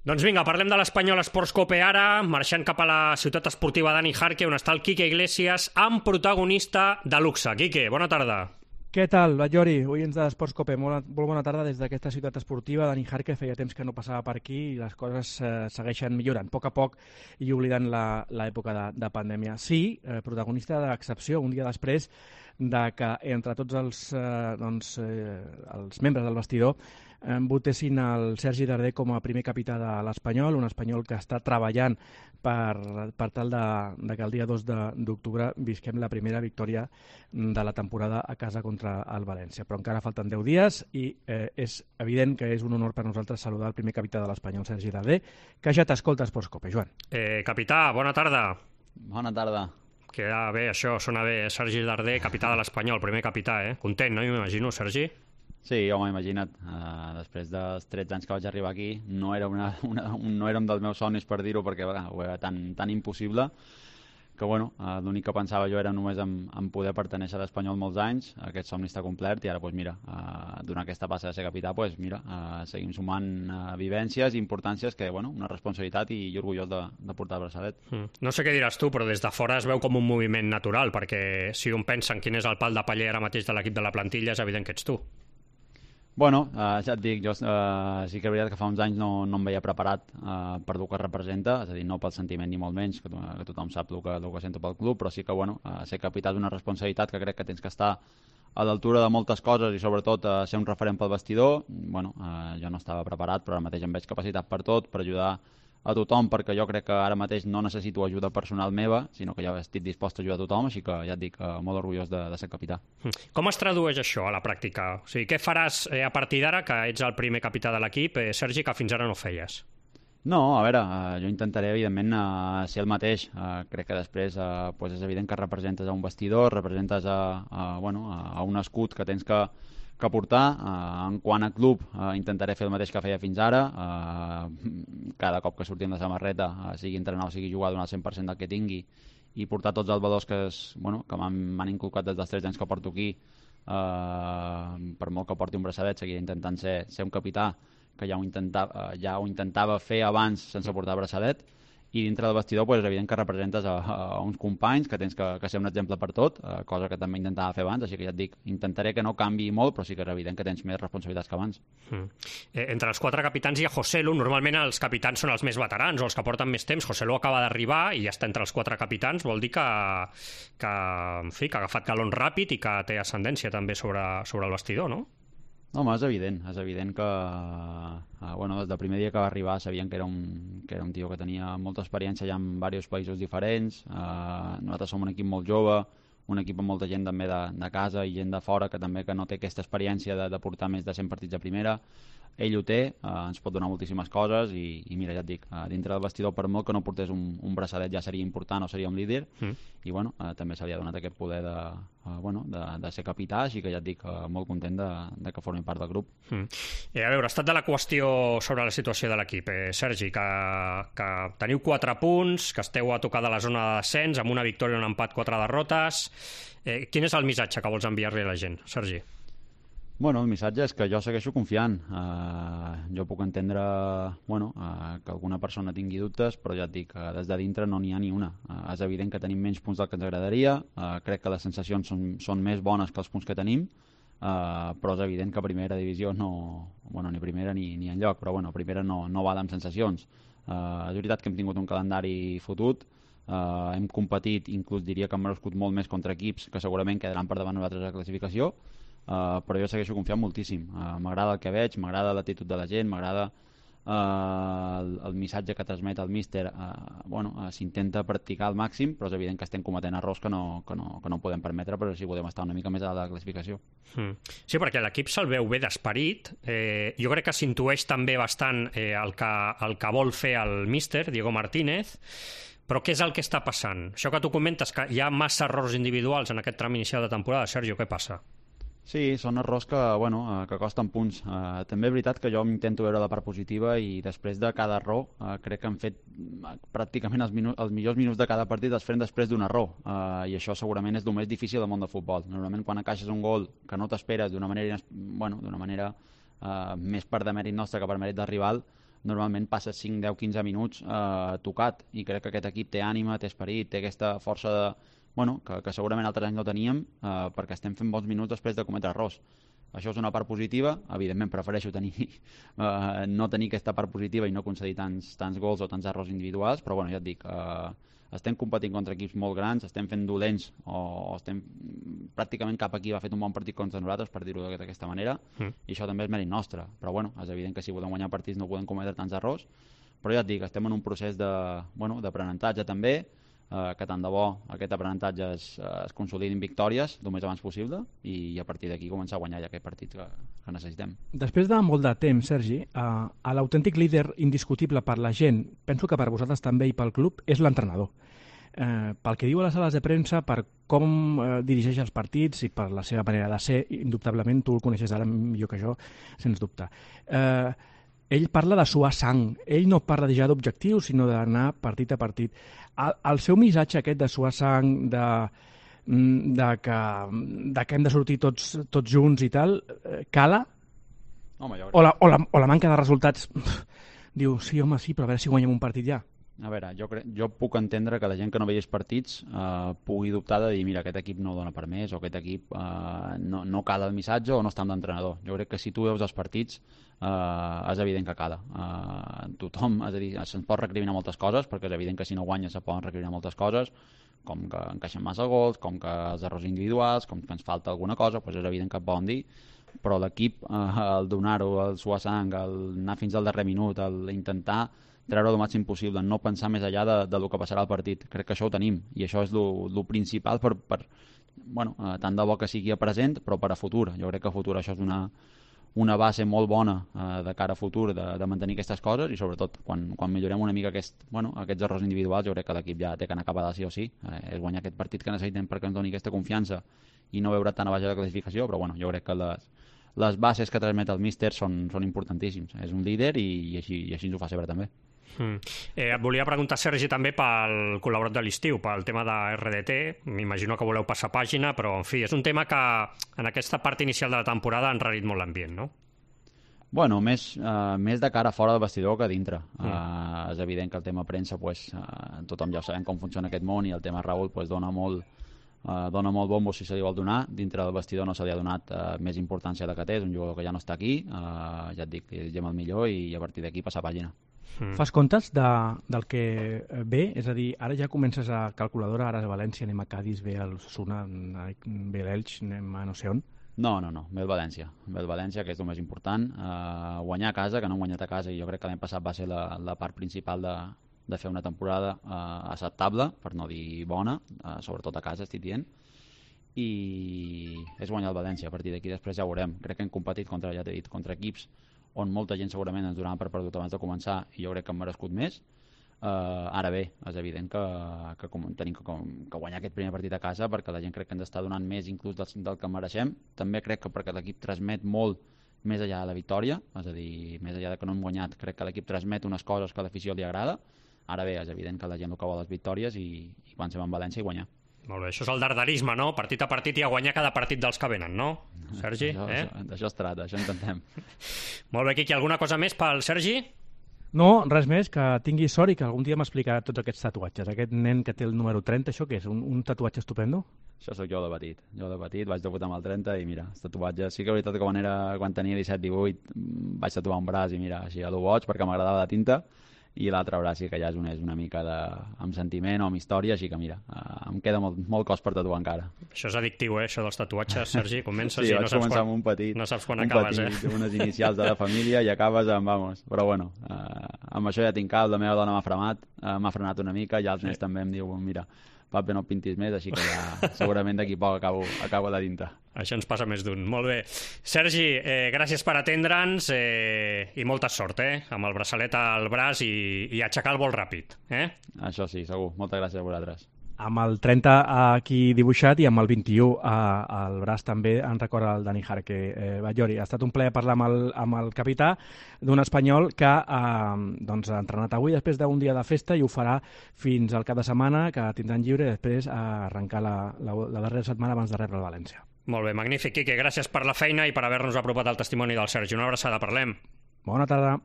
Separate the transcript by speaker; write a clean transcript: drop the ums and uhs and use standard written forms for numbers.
Speaker 1: Doncs vinga, parlem de l'Espanyol Esports Cope ara, marxant cap a la ciutat esportiva Dani Jarque, on està el Quique Iglesias, amb protagonista de luxe. Quique, bona tarda.
Speaker 2: Què tal, Batllori? Oients de l'Esports Cope, molt bona tarda des d'aquesta ciutat esportiva. Dani Jarque feia temps que no passava per aquí i les coses segueixen millorant, a poc i oblidant l'època de pandèmia. Sí, protagonista d'excepció, un dia després de que entre tots els membres del vestidor votessin el Sergi Darder com a primer capità de l'Espanyol, un espanyol que està treballant per tal de que el dia 2 d'octubre visquem la primera victòria de la temporada a casa contra el València. Però encara falten 10 dies i és evident que és un honor per nosaltres saludar el primer capità de l'Espanyol, Sergi Darder, que ja t'escolta a Esports Cope. Joan.
Speaker 1: Capità, bona tarda.
Speaker 3: Bona tarda.
Speaker 1: Queda bé, això sona bé. Sergi Darder, capità de l'Espanyol, primer capità, eh? Content, no? M'imagino, Sergi?
Speaker 3: Sí, home, imagina't, després dels 13 anys que vaig arribar aquí, no era un dels meus somnis, per dir-ho, perquè ho era tan impossible, que bueno, l'únic que pensava jo era només en poder pertenèixer a l'Espanyol molts anys. Aquest somni està complert i ara, doncs mira, donar aquesta passa de ser capità, doncs mira, seguim sumant vivències i importàncies que, bueno, una responsabilitat i orgullós de portar el braçalet.
Speaker 1: No sé què diràs tu, però des de fora es veu com un moviment natural, perquè si un pensa en quin és el pal de paller ara mateix de l'equip de la plantilla, és evident que ets tu.
Speaker 3: Bueno, ja et dic, jo sí que és veritat que fa uns anys no em veia preparat per el que representa, és a dir, no pel sentiment ni molt menys, que tothom sap el que sento pel club, però sí que, bueno, ser capità és una responsabilitat que crec que tens que estar a l'altura de moltes coses i sobretot ser un referent pel vestidor. Bueno, jo no estava preparat, però ara mateix em veig capacitat per tot, per ajudar a tothom, perquè jo crec que ara mateix no necessito ajuda personal meva, sinó que ja estic dispost a ajudar a tothom, així que ja et dic, molt orgullós de ser capità.
Speaker 1: Com es tradueix això a la pràctica? O sigui, què faràs a partir d'ara, que ets el primer capità de l'equip, Sergi, que fins ara no feies?
Speaker 3: No, a veure, jo intentaré, evidentment, ser el mateix. Crec que després és evident que representes a un vestidor, representes a un escut que tens que portar. En quant a club, intentaré fer el mateix que feia fins ara. Cada cop que surti amb la samarreta, sigui entrenar o sigui jugar, donar el 100% del que tingui i portar tots els valors que m'han inculcat des dels 13 anys que porto aquí. Per molt que porti un braçadet, seguiré intentant ser un capità, que ja ho intentava fer abans sense portar braçadet. I dintre del vestidor és evident que representes a uns companys, que tens que ser un exemple per tot, cosa que també intentava fer abans, així que ja et dic, intentaré que no canvi molt, però sí que és evident que tens més responsabilitats que abans.
Speaker 1: Entre els 4 capitans hi ha Joselu. Normalment els capitans són els més veterans o els que porten més temps. Joselu acaba d'arribar i ja està entre els 4 capitans, vol dir que ha agafat galons ràpid i que té ascendència també sobre el vestidor, no?
Speaker 3: Home, és evident que des del primer dia que va arribar sabien que era un tio que tenia molta experiència ja en diversos països diferents. Nosaltres som un equip molt jove, un equip amb molta gent també de casa i gent de fora que també no té aquesta experiència de portar més de 100 partits a primera. Ell ho té, ens pot donar moltíssimes coses i mira, ja et dic, dintre del vestidor, per molt que no portés un braçadet ja seria important o seria un líder, i bueno, també se li ha donat aquest poder de ser capità, així que ja et dic, molt content de que formi part del grup.
Speaker 1: A veure, estat de la qüestió sobre la situació de l'equip, Sergi, que teniu 4 punts, que esteu a tocar de la zona de descens, amb una victòria, un empat, 4 derrotes. Quin és el missatge que vols enviar-li a la gent, Sergi?
Speaker 3: Bueno, el missatge és que jo segueixo confiant. Jo puc entendre que alguna persona tingui dubtes, però ja et dic, des de dintre no n'hi ha ni una. És evident que tenim menys punts del que ens agradaria, crec que les sensacions són més bones que els punts que tenim, però és evident que a primera divisió ni primera ni enlloc, però primera no val amb sensacions. És veritat que hem tingut un calendari fotut, hem competit, inclús diria que hem merescut molt més contra equips que segurament quedaran per davant nosaltres a la classificació, però jo segueixo confiant moltíssim. M'agrada el que veig, m'agrada l'actitud de la gent, m'agrada el missatge que transmet el míster. S'intenta practicar al màxim, però és evident que estem cometent errors que no podem permetre, però si podem estar una mica més a la classificació.
Speaker 1: Sí, perquè l'equip se'l veu bé d'esperit. Jo crec que s'intueix també bastant el que vol fer el míster, Diego Martínez. Però què és el que està passant? Això que tu comentes, que hi ha massa errors individuals en aquest tram inicial de temporada, Sergio, què passa?
Speaker 3: Sí, són errors que costen punts. També és veritat que jo intento veure la part positiva i després de cada error crec que han fet pràcticament els millors minuts de cada partit els fem després d'un error, i això segurament és el més difícil del món del futbol. Normalment quan encaixes un gol que no t'esperes d'una manera més per demèrit nostre que per mèrit del rival, normalment passes 5, 10, 15 minuts tocat, i crec que aquest equip té ànima, té esperit, té aquesta força de, que segurament altres anys no teníem, perquè estem fent bons minuts després de cometre errors. Això és una part positiva. Evidentment prefereixo no tenir aquesta part positiva i no concedir tants gols o tants errors individuals, però ja et dic, estem competint contra equips molt grans, estem fent dolents o estem pràcticament cap equip ha fet un bon partit contra nosaltres, per dir-ho d'aquesta manera, i això també és mèrit nostre, però és evident que si volem guanyar partits no podem cometre tants errors, però ja et dic, estem en un procés d'aprenentatge també, que tant de bo aquest aprenentatge es consolidi en victòries el més abans possible i a partir d'aquí començar a guanyar ja aquest partit que necessitem.
Speaker 2: Després de molt de temps, Sergi, l'autèntic líder indiscutible per la gent, penso que per vosaltres també i pel club, és l'entrenador. Pel que diu a les sales de premsa, per com dirigeix els partits i per la seva manera de ser, indubtablement tu el coneixes ara millor que jo, sens dubte. Ell parla de suar sang, ell no parla ja d'objectius, sinó d'anar partit a partit. El seu missatge aquest de suar sang, de que hem de sortir tots junts i tal, cala?
Speaker 3: Home,
Speaker 2: o la manca de resultats diu, sí, home, sí, però a veure si guanyem un partit ja.
Speaker 3: A veure, jo puc entendre que la gent que no veia els partits pugui dubtar de dir, mira, aquest equip no dona per més, o aquest equip no cala el missatge o no està amb l'entrenador. Jo crec que si tu veus els partits és evident que cala. Tothom, és a dir, se'ns pot recriminar moltes coses, perquè és evident que si no guanyes se poden recriminar moltes coses, com que encaixen massa gols, com que els errors individuals, com que ens falta alguna cosa, doncs és evident que et poden dir, però l'equip, el donar-ho, el suar sang, el anar fins al darrer minut, l'intentar treure el màxim possible, no pensar més enllà del que passarà al partit. Crec que això ho tenim, i això és el principal per tant de bo que sigui a present, però per a futur. Jo crec que a futur això és una base molt bona de cara a futur de mantenir aquestes coses, i sobretot quan millorem una mica aquests errors individuals, jo crec que l'equip ja té que anar cap a dalt sí o sí. És guanyar aquest partit que necessitem perquè ens doni aquesta confiança i no veure tan a baix de la classificació, però jo crec que les bases que transmet el míster són importantíssims. És un líder i així ens ho fa sempre també.
Speaker 1: Et volia preguntar, Sergi, també pel col·laborat de l'estiu, pel tema de RDT. M'imagino que voleu passar pàgina, però en fi, és un tema que en aquesta part inicial de la temporada ha enrarit molt l'ambient, no?
Speaker 3: Bueno, més de cara fora del vestidor que dintre. És evident que el tema premsa, tothom ja sabem com funciona aquest món, i el tema Raúl dona molt bombo si se li vol donar. Dintre del vestidor no se li ha donat més importància de que té, és un jugador que ja no està aquí, ja et dic, és el millor, i a partir d'aquí passar pàgina.
Speaker 2: Fas comptes del que ve? És a dir, ara ja comences a calculadora, ara és València, anem a Cádiz, ve el Osasuna, ve l'Elx, anem a no sé on?
Speaker 3: No, ve el València. Ve el València, que és el més important. Guanyar a casa, que no hem guanyat a casa, i jo crec que l'any passat va ser la part principal de fer una temporada acceptable, per no dir bona, sobretot a casa, estic dient, i és guanyar el València. A partir d'aquí després ja ho veurem. Crec que hem competit contra equips on molta gent segurament ens donava per perdut abans de començar, i jo crec que hem merescut més. Ara bé, és evident que tenim que guanyar aquest primer partit a casa, perquè la gent crec que ens està donant més inclús del que mereixem. També crec que perquè l'equip transmet molt més enllà de la victòria, és a dir, més enllà que no hem guanyat, crec que l'equip transmet unes coses que a l'afició li agrada. Ara bé, és evident que la gent el que vol les victòries, i quan som a València i guanyar.
Speaker 1: Molt bé, això és el dardarisme, no? Partit a partit i a guanyar cada partit dels que venen, no? Sergi?
Speaker 3: D'això es tracta, això intentem.
Speaker 1: Molt bé, Quiqui, alguna cosa més pel Sergi?
Speaker 2: No, res més, que tingui sort i que algun dia m'explicarà tots aquests tatuatges. Aquest nen que té el número 30, això què és? Un tatuatge estupendo?
Speaker 3: Això sóc jo de petit. Vaig debutar amb el 30 i mira, els tatuatges... Sí que és veritat que quan tenia 17-18 vaig tatuar un braç i mira, així a lo boig, perquè m'agradava la tinta, i l'altre braç sí que ja és una mica amb sentiment o amb història, així que mira, em queda molt cos per tatuar encara.
Speaker 1: Això és addictiu, això dels tatuatges, Sergi. Comences
Speaker 3: sí,
Speaker 1: i
Speaker 3: vaig començar amb un petit,
Speaker 1: no saps quan acabes,
Speaker 3: unes inicials de la família, i acabes amb, però bueno, amb això ja tinc cap, la meva dona m'ha frenat una mica, i els nens també em diuen, mira, papi, no pintis més, així que ja segurament d'aquí poc acabo la tinta.
Speaker 1: Això ens passa més d'un. Molt bé. Sergi, gràcies per atendre'ns i molta sort, amb el braçalet al braç i aixecar el vol ràpid.
Speaker 3: Això sí, segur. Moltes gràcies a vosaltres.
Speaker 2: Amb el 30 aquí dibuixat i amb el 21 al braç també en recorda el Dani Jarque. Batllori, ha estat un plaer parlar amb el capità d'un espanyol que ha entrenat avui després d'un dia de festa i ho farà fins al cap de setmana, que tindran lliure, i després arrencar la darrera setmana abans de rebre el València.
Speaker 1: Molt bé, magnífic, Quique. Gràcies per la feina i per haver-nos apropat el testimoni del Sergi. Una abraçada, parlem.
Speaker 2: Bona tarda.